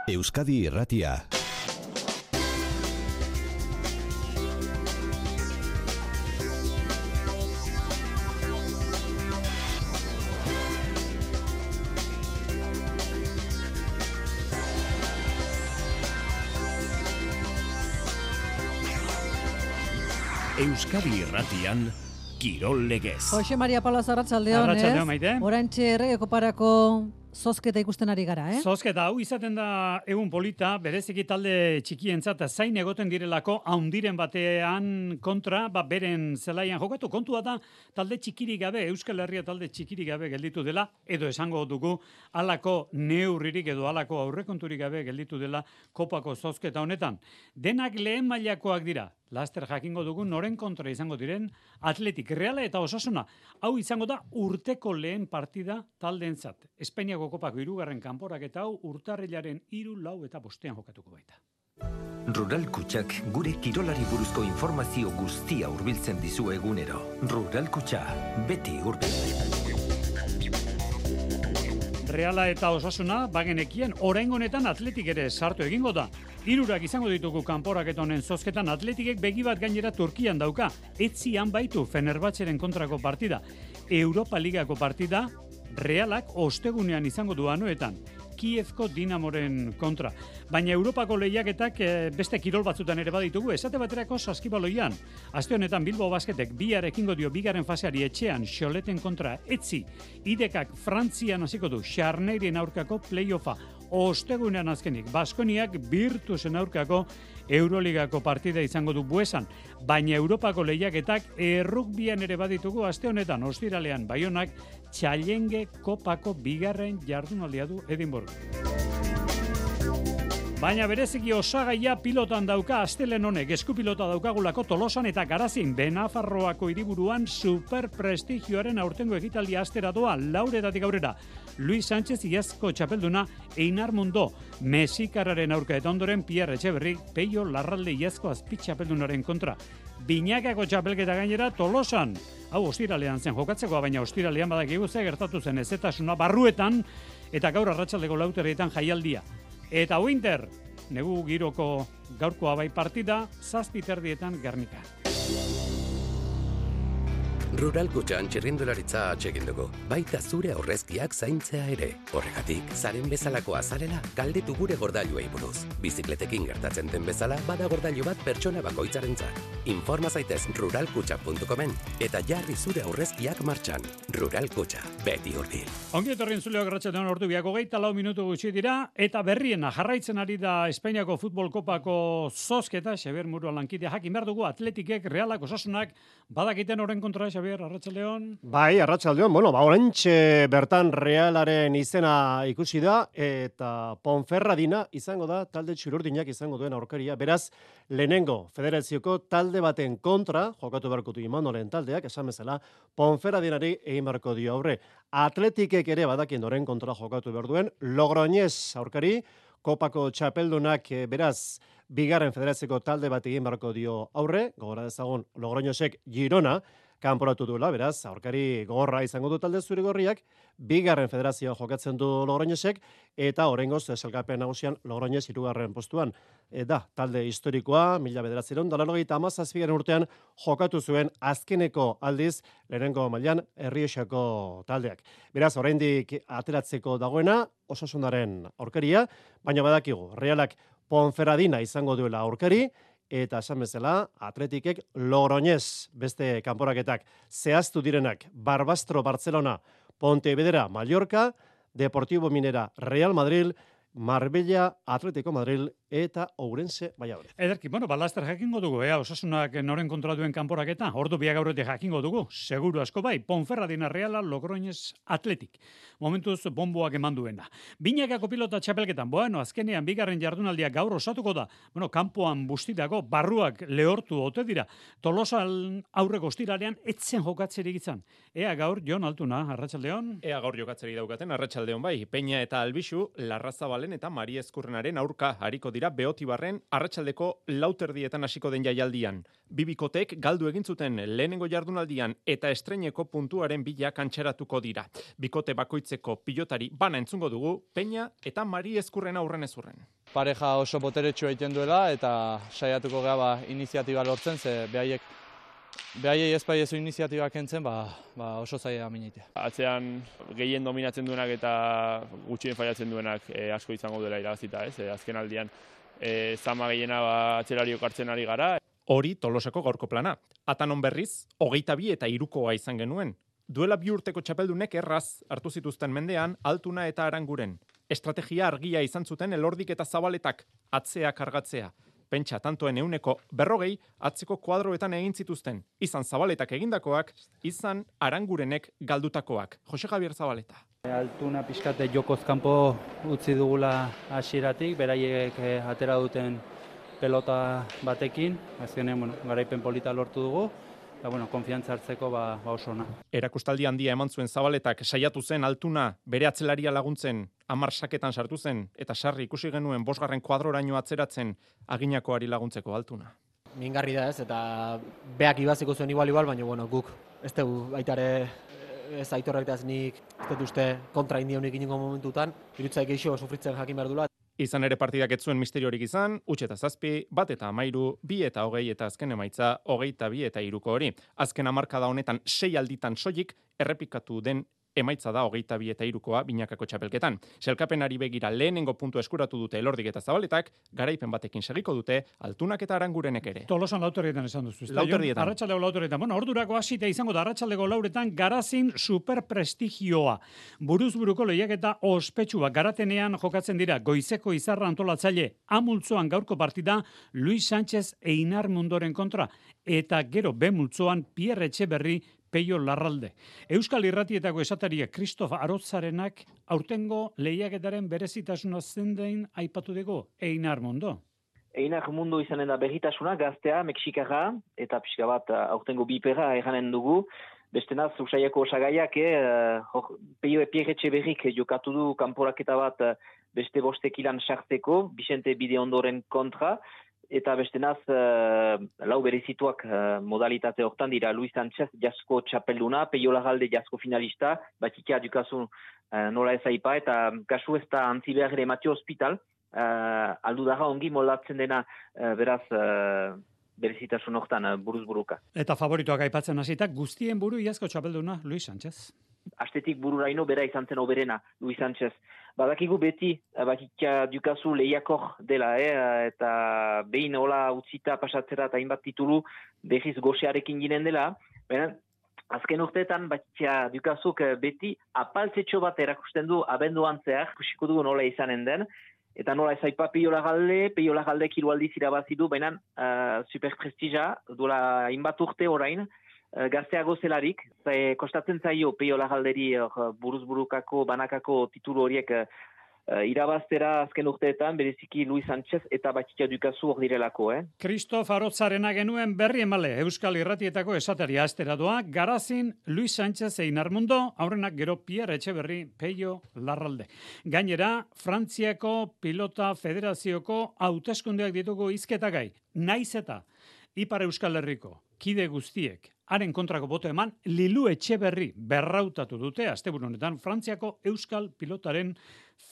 Euskadi Irratia. Euskadi Irratian Kirol Legez. Jose Maria Palas, arratsaldeon, Arratsaldeon, Maite. Oraintxe Errege Koparako zozketa ikusten ari gara, Zozketa, hau izaten da egun polita, bereziki talde txikientzat zain egoten direlako haundiren batean kontra, beren zelaian jokatu. Kontua da talde txikirik gabe, Euskal Herria talde txikirik gabe gelditu dela, edo esango dugu halako neurririk edo halako aurrekonturik gabe gelditu dela kopako zozketa honetan. Denak lehen mailakoak dira. Laster jakingo dugu noren kontra izango diren Atletik, Reala eta Osasuna. Hau izango da urteko lehen partida taldeentzat. Espainiako kopako 3. kanporaketa hau urtarrilaren 3, 4 eta 5 jokatuko baita. Rural Kutxak gure kirolari buruzko informazio guztia hurbiltzen dizu egunero. Rural Kutxa, beti hurbil. Reala eta Osasuna bagenekien oraingo honetan Atletik ere sartu egingo da. 3 izango ditugu kanporaketa honen zozketan. Atletikek begi bat gainera Turkian dauka. Etzian baitu Fenerbahçeren kontrako partida. Europa Ligako partida Realak ostegunean izango du Anoetan. Kievko Dinamoren kontra. Baina Europako lehiaketak beste kirol batzutan ere baditugu, esate baterako saskibaloian. Aste honetan Bilbao Basketek bihar ekingo dio bigarren faseari etxean Xoleten kontra Etzi. Idekak Frantzian hasiko du Xarneiren aurkako playoffa. Ostegunean azkenik Baskoniak Virtusen aurkako Euroligako partida izango du Buesan. Baina Europako lehiaketak errugbian ere baditugu aste honetan ostiralean Baionak Challenge Kopako bigarren jardunaldia du Edinburgh. Baina bereziki osagaia pilotan dauka astelen honek, eskupilota daukagulako Tolosan eta Garazin, Benafarroako hiriburuan superprestigioaren aurtengo ekitaldia astera doa, lauretatik aurrera. Luis Sánchez iazko txapelduna, Einar Mundo, Mesikarraren aurka eta ondoren Pierre Etxeberri, Peio Larralde iazko azpitxapeldunaren kontra. Binakako txapelketa gainera Tolosan. Hau ostiralean zen jokatzekoa, baina ostiralean badakigu ze gertatu zen ezetasuna barruetan eta gaur arratsaldeko 4:00 jaialdia. Eta Winter, negu giroko gaurkoa bai partida, 7:30 Gernika. Rural Kutxan txirrindularitza atsegin dugu, baita zure aurrezkiak zaintzea ere. Horregatik, zaren bezalakoa zarela, galdetu gure gordailuei buruz. Bizikletekin gertatzen den bezala, bada gordailu bat pertsona bakoitzarentzat. Informa zaitez ruralkutxa.comen eta jarri zure aurrezkiak martxan. Rural Kutxa, beti hurbil. Ongi etorrien zuleak ratxatean ordu biako 24 minutu gutxi dira, eta berriena jarraitzen ari da Espainiako futbol kopako zozketa, Xabier Murua lankidea jakin behar dugu, Atletikek, Realak, Osasunak, badakiten horren kontra, Xabier, arratsaldeon. Bai, arratsaldeon. Oraintxe bertan Realaren izena ikusi da eta Ponferradina izango da talde txururdinak izango duen aurkaria. Beraz, lehenengo federazioko talde baten kontra jokatu beharko du Imanolen taldeak, esan bezala Ponferradinari egin beharko dio aurre. Atletikek ere badakien horren kontra jokatu behar duen Logroñez aurkari, kopako txapeldunak beraz bigarren federazioko talde bat egin beharko dio aurre, gogora dezagun Logroñezek Girona kanporatu duela, beraz, aurkari gogorra izango du talde zuri-gorriak, bigarren federazioan jokatzen du Logroñezek, eta oraingoz sailkapen nagusian Logroñez 3. postuan. Da, talde historikoa, 1997 urtean jokatu zuen azkeneko aldiz, lehenengo mailan Errioxako taldeak. Beraz, oraindik ateratzeko dagoena, Osasunaren aurkaria, baina badakigu, Realak Ponferradina izango duela aurkari, eta esan bezala, Atletikek Logroñez beste kanporaketak zehaztu direnak Barbastro Barcelona, Pontevedra Mallorca, Deportivo Minera Real Madrid, Marbella Atletico Madrid eta Ourense Valladolid. Ederki, laster jakingo dugu, Osasunak noren kontra duen kanporaketa, ordu biak aurretik jakingo dugu, seguru asko bai, Ponferradina Reala, Logroñez Atletik. Momentuz bomboak eman duena. Binakako pilota txapelketan, azkenean bigarren jardunaldia gaur osatuko da, kanpoan bustitako, barruak lehortu ote dira. Tolosan aurreko ostiralean etzen jokatzerik izan. Ea gaur, Jon Altuna, arratsaldeon. Ea gaur jokatzerik daukaten, arratsaldeon bai, Peña eta Albixu, Larrazabal Maialen eta Mari Ezkurrenaren aurka hariko dira Beotibarren arratsaldeko 4:00 hasiko den jaialdian. Bi bikoteek galdu egin zuten lehenengo jardunaldian eta estreineko puntuaren bila kantxeratuko dira. Bikote bakoitzeko pilotari bana entzungo dugu Peña eta Mari Ezkurrena aurren ez urren. Pareja oso boteretsua egiten duela eta saiatuko gara iniziatiba lortzen, ze behaiei ez baiezu iniziatiba kentzen, oso zaila mineitea. Atzean gehien dominatzen duenak eta gutxien faiatzen duenak asko izango dela irabazita, ez? Azken aldian zama gehiena atzelariok hartzen ari gara. Hori Tolosako gaurko plana. Atanon berriz, 22 eta 3koa izan genuen. Duela 2 urteko txapeldunek erraz hartu zituzten mendean Altuna eta Aranguren. Estrategia argia izan zuten Elordik eta Zabaletak, atzea kargatzea. Pentsa tantoen 40% atzeko kuadroetan egin zituzten. Izan Zabaletak egindakoak, izan Arangurenek galdutakoak. Jose Javier Zabaleta. Altuna pixkate jokoz kanpo utzi dugula hasieratik, beraiek atera duten pelota batekin, azkenean garaipen polita lortu dugu. Konfiantza hartzeko oso ona. Erakustaldi handia eman zuen Zabaletak saiatu zen Altuna bere atzelaria laguntzen 10 saketan sartu zen eta sarri ikusi genuen 5. kuadroraino atzeratzen aginakoari laguntzeko Altuna. Mingarri da ez, eta beak ibaziko zuen igual, baina guk ez dugu aitare ez aitorrak eta ez nik ez dut uste kontra indionik inongo momentutan, irutzaik eixo sufritzen jakin behar dula. Izan ere partidak ez zuen misteriorik izan, 1 eta 7, 1 eta 13, 2 eta 20 eta azken emaitza 22 eta 3ko hori. Azken hamarkada honetan 6 alditan soilik errepikatu den emaitza da 22 eta 3koa binakako txapelketan. Sailkapenari begira lehenengo puntu eskuratu dute Elordik eta Zabaletak, garaipen batekin segiko dute Altunak eta Arangurenek ere. Tolosan 4:00 esan duzu. Arratsaldeko 4:00. Ordurako hasita izango da arratsaldeko 4:00 Garazin superprestigioa. Buruzburuko lehiaketa ospetsua Garatenean jokatzen dira goizeko izarra antolatzaile amultzoan gaurko partida Luis Sánchez Einar Mundoren kontra eta gero B multzoan Pierre Etxeberri Peio Larralde. Euskal Irratietako esataria Kristof Arotzarenak aurtengo lehiaketaren berezitasuna zendein aipatu dugu Einar Mundo. Einar Mundo izanen da berritasuna, gaztea, Mexikarra, eta pixka bat aurtengo bipera eranen dugu. Bestenaz, usaiako osagaiak, Peio Pierre Etxeberrik jokatu du kanporaketa bat beste bostekilan sartzeko, Vicente Bideondoren kontra, eta bestenaz, lau berezituak modalitate hortan dira Luis Sánchez jasko txapelduna, Peio Larralde jasko finalista, batikia dukazu nola ez aipa, eta kasu ez da antzi behar ere Mateo Hospital, aldu daga ongi moldatzen dena beraz berezitasun hortan buruz-buruka. Eta favoritoak aipatzen hasita guztien buru iazko txapelduna Luis Sánchez. Astetik bururaino bera izan zen oberena Luis Sánchez. Badakigu beti batikia dukazu lehiakor dela, eta behin hola utzita pasatzera eta hainbat titulu behiz goxearekin ginen dela, baina azken urteetan batikia dukazuk beti apaltzetxo bat erakusten du abenduan zehar, kusiko dugu nola izanen den, eta nola ez aipa Peio Larralde kirualdiz irabazi du, baina superprestija, duela hainbat urte orain, gazteago zelarik, kostatzen zaio Peio Larralderi buruz-burukako, banakako titulu horiek irabaztera azken urteetan, bereziki Luis Sánchez eta Batikia dukazu hor direlako. Kristof Arotzarena genuen berri emale, Euskal Irratietako esataria astera doa, Garazin Luis Sánchez Einar Mundo, aurrenak gero Pierre Etxeberri Peio Larralde. Gainera, Frantziako Pilota Federazioko hauteskundeak ditugu hizketagai, naiz eta Ipar Euskal Herriko kide guztiek haren kontrako boto eman, Lilu Etxeberri berrautatu dute asteburu honetan Frantziako Euskal Pilotaren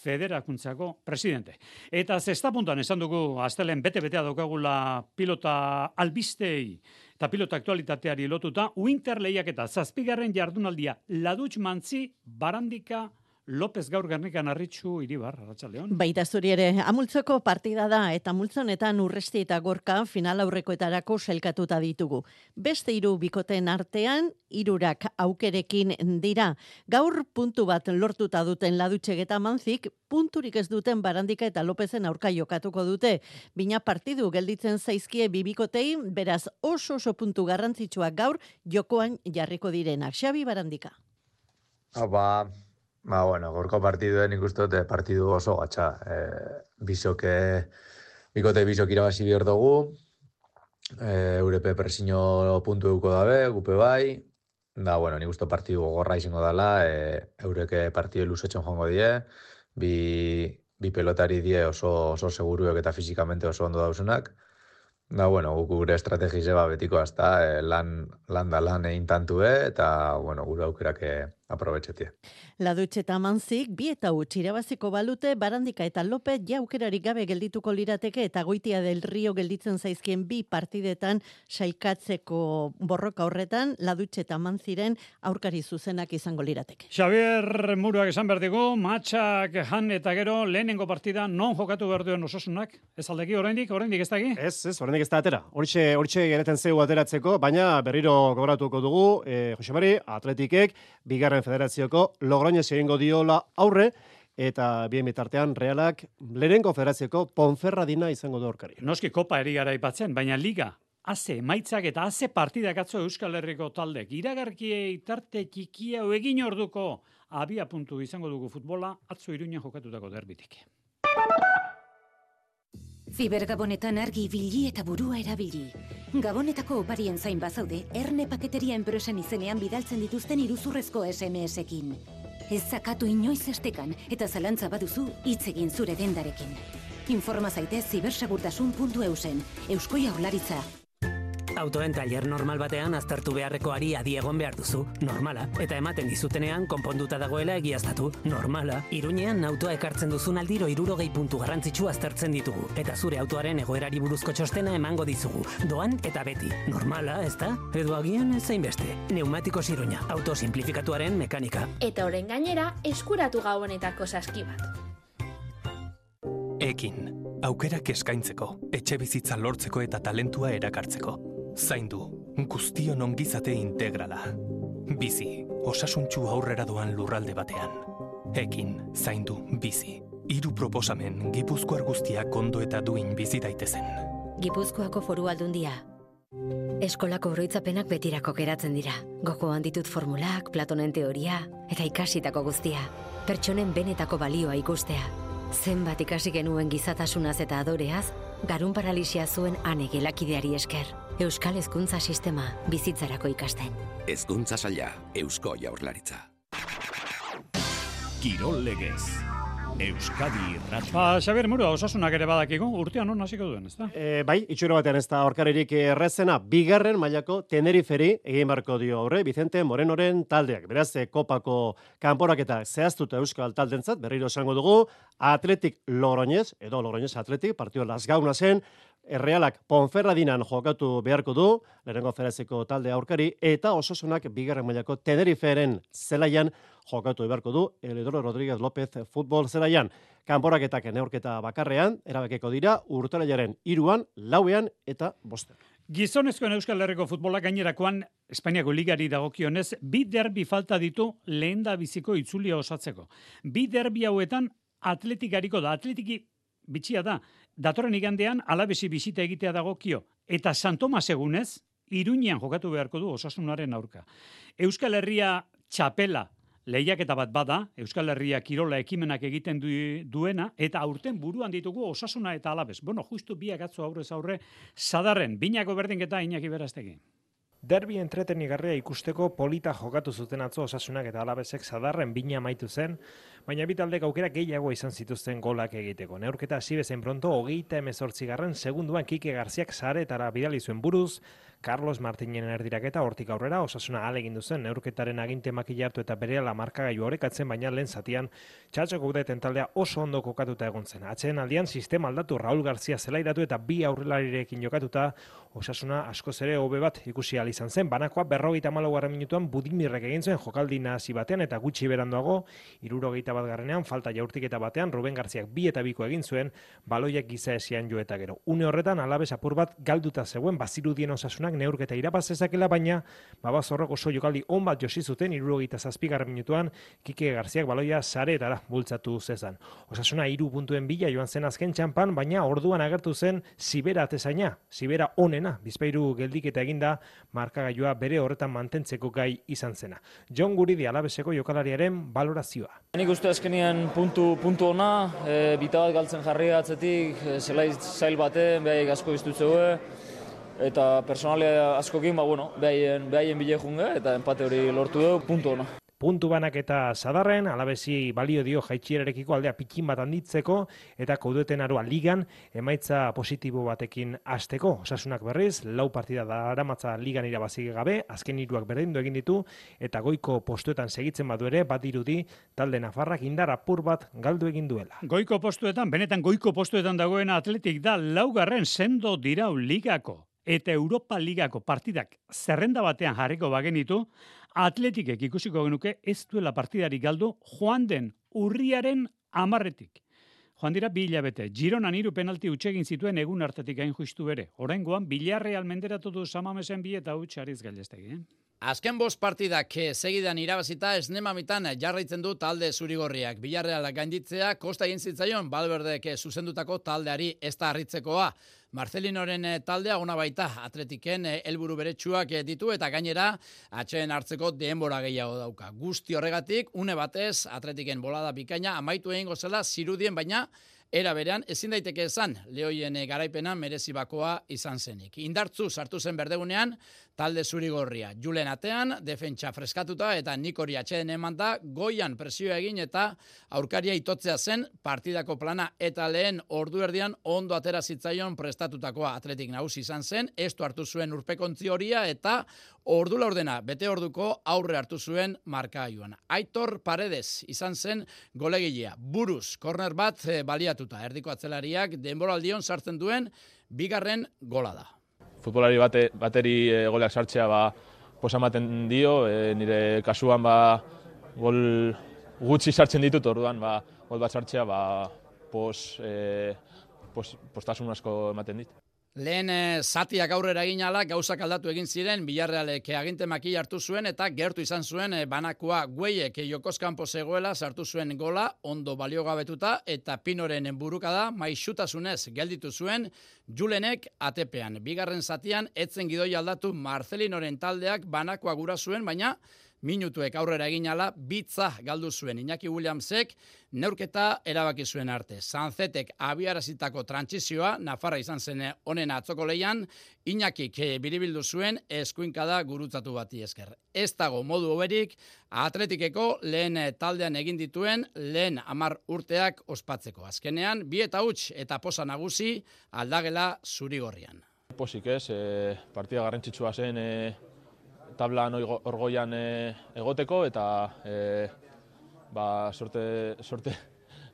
Federakuntzako presidente. Eta zestapuntan esan dugu astelen bete-betea daukagula pilota albistei eta pilota aktualitateari lotuta, Winter lehiaketa 7. jardunaldia Ladutx Mantzi Barandika López gaur Gernikan Arritxu Iribar, Arratsaldeon. Baita zuri ere, amultzoko partida da eta multzonetan Urresti eta Gorka final aurrekoetarako sailkatuta ditugu. Beste 3 bikoten artean, 3 aukerekin dira. Gaur puntu bat lortuta duten Ladutxek eta Mantzik, punturik ez duten Barandika eta Lopezen aurka jokatuko dute. Bina partidu gelditzen zaizkie bibikotei, beraz oso puntu garrantzitsuak gaur jokoan jarriko direnak. Xabi Barandika. Gorko partiduen ikustu dute partidu oso gatsa. Bikote bisok irabazi behar dugu, Eurepe presino puntu eduko dabe, gupe bai, nik uste partidu gogorra izango dela, Eureke partidu luzetzen joango die, bi bi pelotari die oso seguruek eta fizikamente oso ondo dausunak. Da, bueno, gure estrategize betiko hasta lan egin tantue eta, bueno, gure aukerak aprobetxetie. Ladutxe eta Manzik, bi eta huts irabaziko balute, Barandika eta Lopez aukerarik gabe geldituko lirateke eta Goitia del Rio gelditzen zaizkien bi partidetan sailkatzeko borroka horretan, Ladutxe eta Manziren aurkari zuzenak izango lirateke. Xabier Muruak esan behar digu, matxak jan eta gero lehenengo partida non jokatu behar duen Osasunak? Ez aldeki, oraindik ez daki? Ez, oraindik ez da atera. Hortxe gereten zeu ateratzeko, baina berriro gogoratuko dugu, Jose Mari, Atletikek, bigarren federazioko Logroñez egingo diola aurre, eta bien bitartean Realak lehenengo federazioko Ponferradina izango du aurkari. Noski kopa eri gara aipatzen, baina liga, haze emaitzak eta haze partidak atzo Euskal Herriko taldek. Iragarkiei tarte txikia egin orduko abia puntu izango dugu futbola, atzo Iruñan jokatutako derbitik. Zibergabonetan argi ibili eta burua erabili. Gabonetako oparien zain bazaude, Erne Paketeria enpresen izenean bidaltzen dituzten iruzurrezko SMS-ekin. Ez zakatu inoiz estekan eta zalantza baduzu hitz egin zure dendarekin. Informa zaitez zibersegurtasun.eusen, Eusko Jaurlaritza. Autoen tailer normal batean aztertu beharrekoari adi egon behar duzu, normala. Eta ematen dizutenean konponduta dagoela egiaztatu, normala. Iruñean autoa ekartzen duzun aldiro 60 puntu garrantzitsu aztertzen ditugu. Eta zure autoaren egoerari buruzko txostena emango dizugu. Doan eta beti, normala, ezta? Edo agian ezain beste. Neumatikos Iruña, auto simplifikatuaren mekanika. Eta orain gainera, eskuratu gabonetako saski bat. Ekin, aukerak eskaintzeko, etxe bizitza lortzeko eta talentua erakartzeko. Zaindu, guztion ongizate integrala. Bizi, osasuntsu aurrera doan lurralde batean. Ekin, zaindu, bizi. 3 proposamen Gipuzkoar guztiak ondo eta duin bizi daitezen. Gipuzkoako Foru Aldundia. Eskolako oroitzapenak betirako geratzen dira. Gogoan ditut formulak, Platonen teoria eta ikasitako guztia. Pertsonen benetako balioa ikustea. Zenbat ikasi genuen gizatasunaz eta adoreaz, garun paralisia zuen ane gelakideari esker. Euskal Hezkuntza Sistema bizitzarako ikasten. Hezkuntza saila, Eusko Jaurlaritza. Kirol legez. Euskadi Irratia. Xabier Murua, Osasunak ere badakigu, urtean non hasiko duen, ezta? Bai, itxuro batean ez da aurkaririk errezena, bigarren mailako Teneriferi egin barko dio aurre, Vicente Morenoren taldeak. Beraz, kopako kanporaketa zehaztuta Euskal taldentzat, berriro esango dugu, Atletik Logroñez, edo Logroñez Atletik, partio lasgauna zen, Realak Ponferradinan jokatu beharko du, lehenengo federaziko talde aurkari, eta Osasunak bigarren mailako Teneriferen zelaian jokatu beharko du, Eledoro Rodríguez López futbol zelaian. Kanporaketak neurketa bakarrean, erabakeko dira, urtarrilaren 3, 4 eta 5. Gizonezkoen Euskal Herriko futbolak gainerakoan Espainiako ligari dagokionez, 2 derbi falta ditu lehenda biziko itzulia osatzeko. 2 derbi hauetan Atletik da, Atletiki bitxia da, datorren igandean Alabesi bisita egitea dagokio, eta San Tomas egunez, Iruñean jokatu beharko du Osasunaren aurka. Euskal Herria txapela lehiaketa bat bada, Euskal Herria kirola ekimenak egiten duena, eta aurten buruan ditugu Osasuna eta Alabes. Bueno, justu biak atzo aurrez aurre, Sadarren, binako berdinketa Iñaki Berastegi. Derbi entretenigarria ikusteko polita jokatu zuten atzo Osasunak eta Alabesek Sadarren bina amaitu zen, baina bi taldek aukera gehiago izan zituzten golak egiteko. Neurketa hasi bezain pronto 38. segunduan Kike Garziak saretara bidali zuen buruz, Carlos Martinen erdiraketa hortik aurrera Osasuna ahalegin zen neurketaren aginte makila hartu eta berehala markagailu orekatzen, baina lehen zatian Txatxoko Udeten taldea oso ondo kokatuta egon zen. Atxeen aldian sistema aldatu, Raul Garzia zelairatu eta bi aurrelarirekin jokatuta Osasuna askoz ere hobe bat ikusi ahal izan zen. Banakoa 54. minutuan Budimirrek egin zuen jokaldi nahasi batean eta gutxi beranduago 71. falta jaurtiketa batean Ruben Garziak 2 eta 2 egin zuen, baloiak giza esian jo eta gero. Une horretan Alabes apur bat galduta zegoen, bazirudien Osasunak neurketa irabaz zezakela, baina Babazorrok oso jokaldi on bat josi zuten 77. minutuan Kike Garziak baloia saretara bultzatu zezan. Osasuna 3 puntuen bila joan zen azken txanpan, baina orduan agertu zen Sibera atezaina, Sibera onena, Bizpahiru geldiketa eginda markagailua bere horretan mantentzeko gai izan zena. Jon Guridi Alabeseko jokalariaren balorazioa. Nik uste azkenean puntu ona, bita bat galtzen jarri atzetik, zelai zail baten, behaik asko biztutzeue, eta personalia askokin, behaien bile junge, eta empate hori lortu dugu, puntu ona. Puntu banak eta Sadarren, Alabesi balio dio jaitsierarekiko aldea pikin bat handitzeko eta Koudeten Aroa ligan emaitza positibo batekin hasteko. Osasunak berriz, 4 partida daramatza ligan irabazi gabe, azken 3 berdindu egin ditu eta goiko postuetan segitzen badu ere, badirudi talde nafarrak indar apur bat galdu egin duela. Goiko postuetan, benetan goiko postuetan dagoen Atletik da 4. sendo dirau ligako eta Europa Ligako partidak zerrenda batean jarriko bagenitu, Atletikek ikusiko genuke ez duela partidari galdu joan den urriaren 10-etik. Joan dira 2 hilabete. Gironan 3 penalti hutsegin zituen egun hartatik gain justu bere. Oraingoan Villarreal menderatu du Samamesen 2 eta huts Ariz Gallestegi. Azken 5 partidak segidan irabazita esnemamitan jarraitzen du talde zurigorriak. Villarreal gainditzea kosta egin zitzaion Valverdek zuzendutako taldeari ez da harritzekoa. Marcelinoren taldea ona baita Atletiken helburu beretsuak ditu eta gainera atxeen hartzeko denbora gehiago dauka. Guzti horregatik une batez Atletiken bolada bikaina amaitu egingo zela zirudien, baina era berean ezin daiteke esan Lehoien garaipena merezi bakoa izan zenik. Indartzu sartu zen berdegunean talde zurigorria. Julen atean, defentsa freskatuta eta Nikori atxeden emanda goian presioa egin eta aurkaria itotzea zen partidako plana eta lehen ordu erdian ondo atera zitzaion prestatutakoa. Atletik nagusi izan zen, estu hartu zuen urpekontzi horia eta ordu laurdena bete orduko aurre hartu zuen markagailuan. Aitor Paredes izan zen golegilea. Buruz, korner bat baliatuta. Erdiko atzelariak denboraldion sartzen duen 2. gola da. Futbolari bateri goleak sartzea posa ematen dio, nire kasuan gol gutxi sartzen ditut, orduan gol bat sartzea postasun asko ematen dit. Lehen zatiak aurrera egin ala, gauzak aldatu egin ziren, Villarrealek aginte makila hartu zuen eta gertu izan zuen banakoa Gueiek jokoz kanpo zegoela sartu zuen gola, ondo baliogabetuta eta Pinoren burukada maixutasunez gelditu zuen Julenek atepean. 2. zatian etzen gidoi aldatu Marcelinoren taldeak banakoa gura zuen, baina minutuek aurrera egin ala, bitza galdu zuen Iñaki Williamsek neurketa erabaki zuen arte. Sanzetek abiarazitako trantsizioa, Nafarra izan zen honen atzoko leian, Iñakik biribildu zuen eskuinkada gurutzatu bati esker. Ez dago modu hoberik Atletikeko lehen taldean egin dituen lehen 10 urteak ospatzeko. Azkenean, 2 eta huts eta posa nagusi aldagela zurigorrian. Posik ez, partida garrantzitsua zen tablan orgoian egoteko eta sorte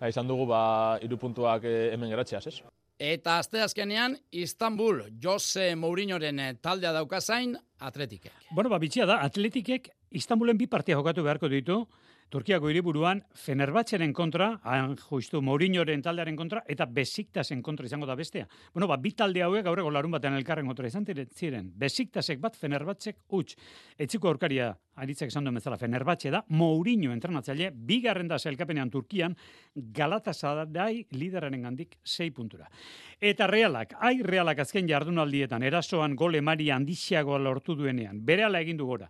izan dugu 3 puntuak hemen geratzeaz, ez? Eta asteazkenean Istanbul Jose Mourinhoren taldea daukazain Atletikek. Bueno, bitxia da, Atletikek Istanbulen 2 partia jokatu beharko ditu, Turkiako hiriburuan Fenerbahçeren kontra, justu Mourinhoren taldearen kontra, eta Besiktasen kontra izango da bestea. Bueno, 2 talde hauek gaurreko larun batean elkarren kontra izan ziren. Besiktasek bat, Fenerbahçek huts. Etziko aurkaria, aritzek esan duen bezala, Fenerbahçe da, Mourinho entrenatzaile, 2. da sailkapenean Turkian, Galatasaray lideraren gandik 6 puntura. Eta Realak azken jardunaldietan, erasoan gol emari handixiagoa lortu duenean, berehala egin du gora.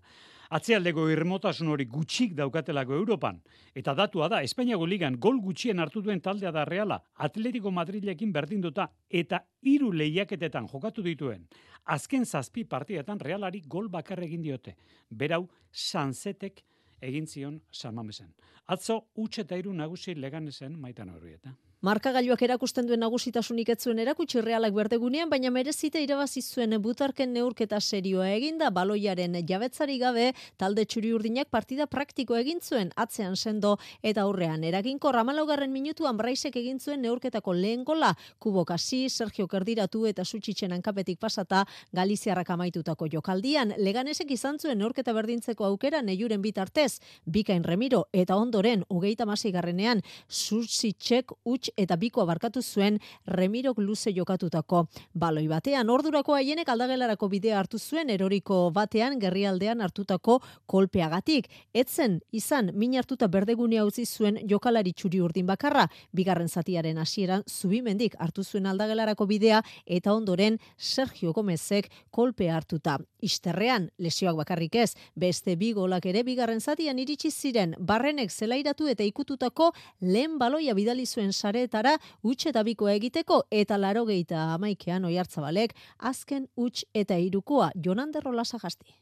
Atzealdeko irmotasun hori gutxik daukatelako Europan. Eta datua da, Espainiako ligan gol gutxien hartu duen taldea da Reala, Atletico Madrilekin berdinduta eta 3 lehiaketetan jokatu dituen. Azken 7 partidetan Realari gol bakar egin diote. Berau, Sanzetek egin zion Samamesen. Atzo, huts eta 3 nagusi Leganesen Maitan Horrieta. Markagailuak erakusten duen nagusitasunik ez zuen erakutsi Realak berdegunean, baina merezita irabazi zuen butarken neurketa serioa eginda, baloiaren jabetzari gabe talde txuri-urdinak partida praktiko egin zuen, atzean sendo eta aurrean eraginkor 14. minutuan Braisek egin zuen neurketako lehen gola, Kubo Kasi, Sergio Kerdiratu eta Sutxitzen hankapetik pasata Galiziarrak amaitutako jokaldian. Leganesek izan zuen neurketa berdintzeko aukera Neiuren bitartez, Bikain Remiro eta ondoren 36. Sutxitzek eta bikoa barkatu zuen Remirok luze jokatutako baloi batean. Ordurako haienek aldagelarako bidea hartu zuen eroriko batean gerrialdean hartutako kolpeagatik. Etzen izan min hartuta berdegunea utzi zuen jokalari txuri urdin bakarra. 2. zatiaren hasieran Zubimendik hartu zuen aldagelarako bidea eta ondoren Sergio Gomezek kolpea hartuta. Isterrean, lesioak bakarrik ez, beste 2 golak ere 2. zatian iritsi ziren. Barrenek zelairatu eta ikututako lehen baloia bidali zuen sareetara huts eta bikoa egiteko eta 81an Oiartzabalek azken huts eta 3koa Jonander Rolasagasti.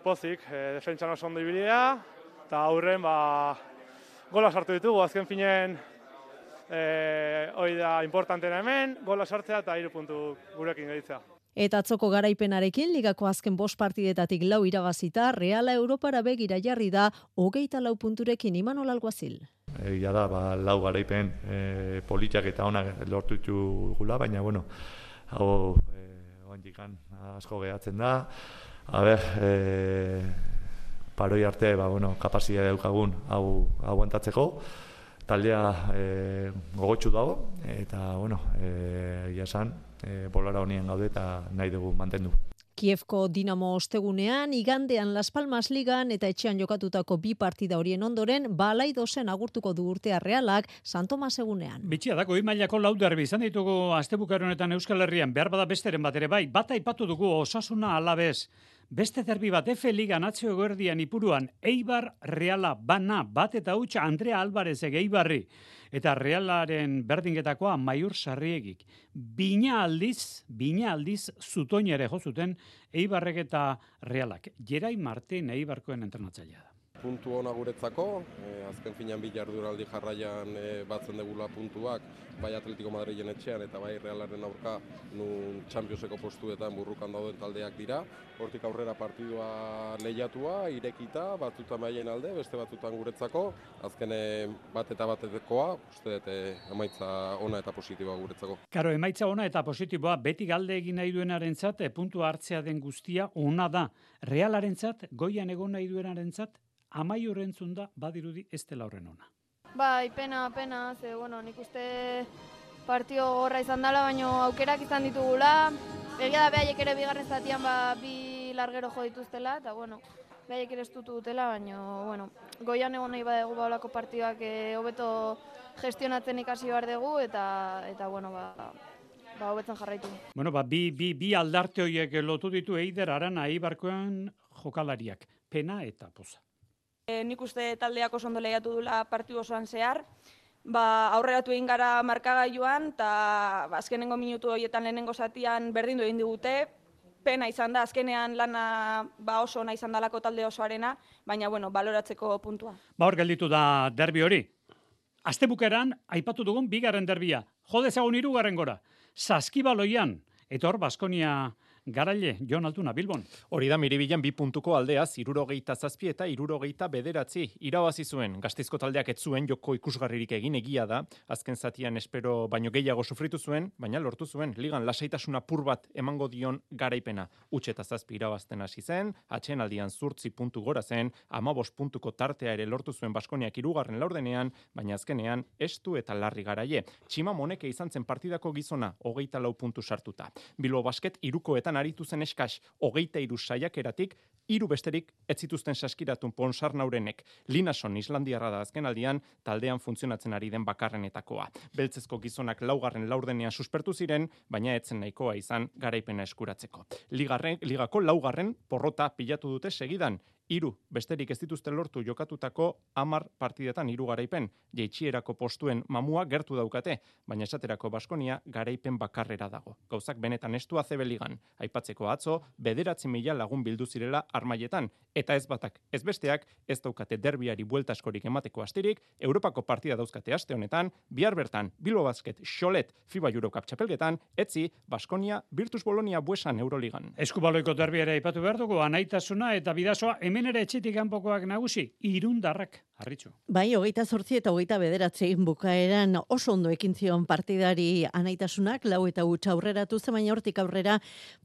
Pozik, defentsan oso ondo ibilia, eta aurren gola sartu ditugu, azken finen hori da importantena hemen, gola sartzea eta 3 puntu gurekin gelditzea. Eta atzoko garaipenarekin ligako azken 5 partidetatik 4 irabazita, Reala Europara begira jarri da 24 punturekin. Imanol Alguazil. Egia da, 4 garaipen politak eta onak lortu ditugula, baina bueno, hau oandikan asko gehatzen da. Paroi arte, kapazia daukagun hau aguantatzeko. Taldea gogotsu dago, eta esan, bolara honien gaude eta nahi dugu mantendu. Kievko Dinamo ostegunean, igandean Las Palmas Ligan eta etxean jokatutako 2 partida horien ondoren, Balaidosen agurtuko du urtea Realak San Tomas egunean. Bitxia da, goi mailako 4 derbi izan ditugu astebukaero honetan Euskal Herrian, behar bada besteren bat ere bai, bat aipatu dugu Osasuna Alavés. Beste derbi bat F Ligan atzio eguerdian Ipuruan, Eibar Reala bana bat eta huts Andrea Alvarez Eibarri. Eta Realaren berdinketakoa Maiur Sarriegik. Bina aldiz zutoinere jo zuten Eibarrek eta Realak. Jerai Martin Eibarkoen entrenatzailea da. Puntu ona guretzako, azken finean 2 jardunaldi jarraian batzen degula puntuak, bai Atletico Madrilen etxean eta bai Realaren aurka nun Championseko postuetan burrukan dauden taldeak dira. Hortik aurrera partidua lehiatua, irekita, batzutan baien alde, beste batzutan guretzako, azken bat eta batekoa, uste dut emaitza ona eta positiboa guretzako. Karo, emaitza ona eta positiboa, beti galde egin nahi duenarentzat, puntu hartzea den guztia ona da. Realarentzat, goian egon nahi duenarentzat, Amaiur entzun da, badirudi ez dela horren ona. Bai, pena, ze, nik uste partio gorra izan dela, baina aukerak izan ditugula. Egia da, behaiek ere bigarren zatian 2 largero jo dituztela, eta, behaiek ere estutu dutela, baina, goian egon nahi badegu baolako partioak hobeto gestionatzen ikasi behar dugu, eta hobetzen jarraitu. Bi aldarte horiek lotu ditu Eider Arana Eibarkoen jokalariak, pena eta poza. Nik uste taldeak oso ondo lehiatu dula partidu osoan zehar. Aurreratu egin gara markagailuan, eta azkenengo minutu horietan lehenengo zatian berdindu egin digute. Pena izan da, azkenean lana oso ona izan dalako talde osoarena, baina baloratzeko puntua. Hor gelditu da derbi hori. Astebukeran aipatu dugun 2. derbia. Jo dezagun 3. gora. Saskibaloian, eta hor Baskonia garaile, Jon Altuna, Bilbon. Hori da, Miribilan 2 puntuko aldea, 67 eta 69 irabazi zuen. Gasteizko taldeak ez zuen joko ikusgarririk egin egia da, azken zatian espero baino gehiago sufritu zuen, baina lortu zuen, ligan lasaitasuna apur bat emango dion garaipena. Utxe eta 7 irabazten hasi zen, atxeen aldian 8 puntu gora zen, 15 puntuko tartea ere lortu zuen Baskoniak 3. laurdenean, baina azkenean estu eta larri garaie. Txima Moneke izan zen partidako gizona, 24 puntu sartuta. Bilbo Basket 3koetan aritu zen eskas 23 saiakeratik, 3 besterik ez zituzten saskiratun Ponsarnaurenek. Linason Islandiarra da azken aldian, taldean funtzionatzen ari den bakarrenetakoa. Beltzezko gizonak 4. laurdenean suspertu ziren, baina etzen nahikoa izan garaipena eskuratzeko. Ligako 4. porrota pilatu dute segidan. 3 besterik ez dituzten lortu jokatutako 10 partidetan 3 garaipen. Jeitsierako postuen mamua gertu daukate, baina esaterako Baskonia garaipen bakarrera dago. Gauzak benetan estu ACB ligan. Aipatzeko atzo, 9.000 lagun bildu zirela armaietan, eta ez batak, ez besteak, ez daukate derbiari buelta askorik emateko astirik, Europako partida dauzkate aste honetan, bihar bertan, Bilbo Basket, Xolet, FIBA Eurocup txapelketan, etzi, Baskonia, Virtus Bolonia Buesan Euroligan. Eskubaloiko derbi ere aipatu behar dugu, Anaitasuna eta Bidasoa, hemen ere etxetik kanpokoak nagusi, Irundarrak, Harritxu. Bai, 28 eta 29 bukaeran oso ondo ekin zion partidari Anaitasunak, 4 eta 8 aurreratu zen, baina hortik aurrera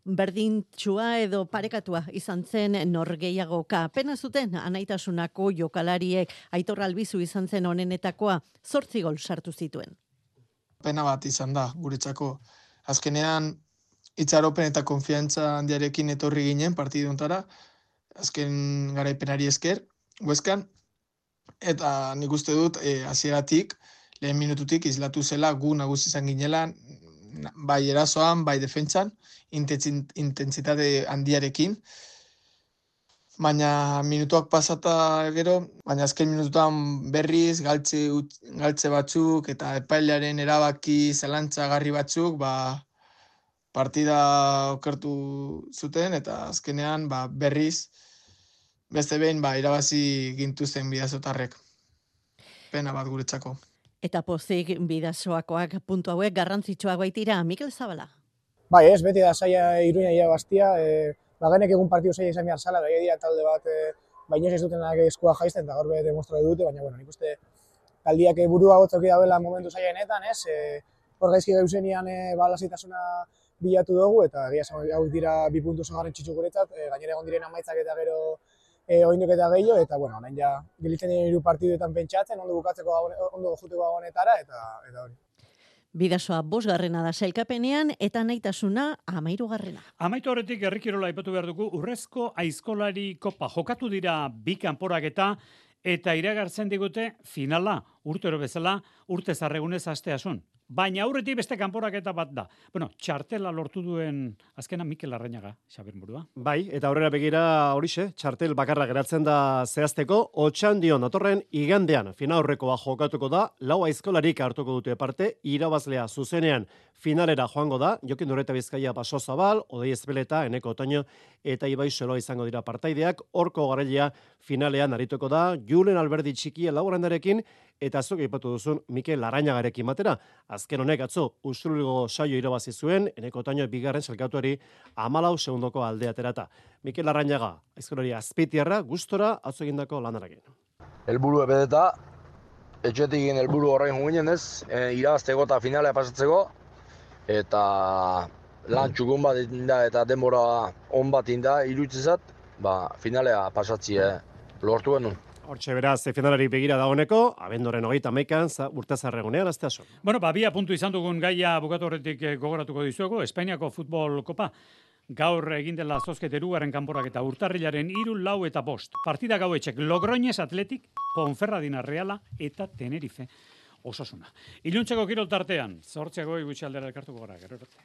berdintxua edo parekatua izan zen norgeiagoka. Pena zuten Anaitasunako jokalariek, Aitor Albizu izan zen honenetakoa, 8 gol sartu zituen. Pena bat izan da, guretzako. Azkenean, itxaropen eta konfiantza handiarekin etorri ginen partiduntara, azken garaipenari esker, Hueskan, eta nik uste dut, hasieratik, lehen minututik izlatu zela gu nagusi izan ginela, bai erasoan, bai defentsan, intentsitate handiarekin, baina minutuak pasata gero, baina azken minututan berriz, galtze batzuk, eta epailearen erabaki zelantzagarri batzuk, partida okertu zuten, eta azkenean berriz beste behin irabazi gintuzten bidazotarrek. Pena bat guretzako. Eta pozik bidazoakoak puntu hauek garrantzitsuak baitira, Mikel Zabala. Bai, ez, beti da saia Iruña irabaztia, bagenek egun partidu saia izan behar zala, gai dira talde bat, baino ez dutenak eskua jaisten, eta gaur be demostratu dute, baina, nik uste taldiak burua gotzoki dauela momentu saiaenetan, ez, hor gaizki gauzenian lasaitasuna bilatu dugu, eta egia hau dira 2 puntu garrantzitsu guretzat, gainera egon diren amaitzak eta gero oinduk eta gehiago, eta, orain ja, gelitzen diren 3 partiduetan pentsatzen, ondo juteko honetara, eta hori. Bidasoa 5. da sailkapenean eta Naitasuna 13. Amaitu horretik herrikirola aipatu behar dugu, Urrezko Aizkolari Kopa jokatu dira 2 kanporaketa eta iragartzen digute finala, urtero bezala, urte zarregunez asteasun. Baina aurretik beste kanporaketa bat da. Txartela lortu duen azkena Mikel Larrañaga, Xabier Murua. Bai, eta aurrera begira horixe, txartel bakarra geratzen da zehazteko, Otxandion datorren igandean finaurrekoa jokatuko da, 4 aizkolarik hartuko dute parte, irabazlea zuzenean finalera joango da, Jokin Dureta Bizkaia Baso Zabal, Odei Ezpeleta, Eneko Otoño eta Ibai Solo izango dira partaideak, horko garailea finalean arituko da, Julen Alberdi Txikia Laurandarekin, eta zuk aipatu duzun Mikel Larrañagarekin batera. Azken honek atzo Usurbilgo saio irabazi zuen, Eneko Otoño 2. sailkatuari 14 segundoko aldea aterata. Mikel Larrañaga, aizkolari azpitiarra, gustora atzo egindako lanarekin. Helburu ebedeta, etxetik helburu horrein juginen ez, irabazteko eta finalea pasatzeko, eta lan txukun bat inda eta denbora on bat inda iruditzezat, finalea pasatzie lortu genuen. Hortxe beraz, finalari begira dagoeneko, abendoren 31an, urte zarregunean, asteasun. 2 puntu izan dugun gaia bukatu horretik gogoratuko dizuegu, Espainiako futbol kopa. Gaur egin dela zozkete 2. kanporak eta urtarrilaren 3, 4 eta 5. Partida gauetxek Logroñez Atletik, Ponferradina Reala eta Tenerife Osasuna. Iluntzeko kirol tartean, 8 gutxi aldera elkartuko gara, gero arte.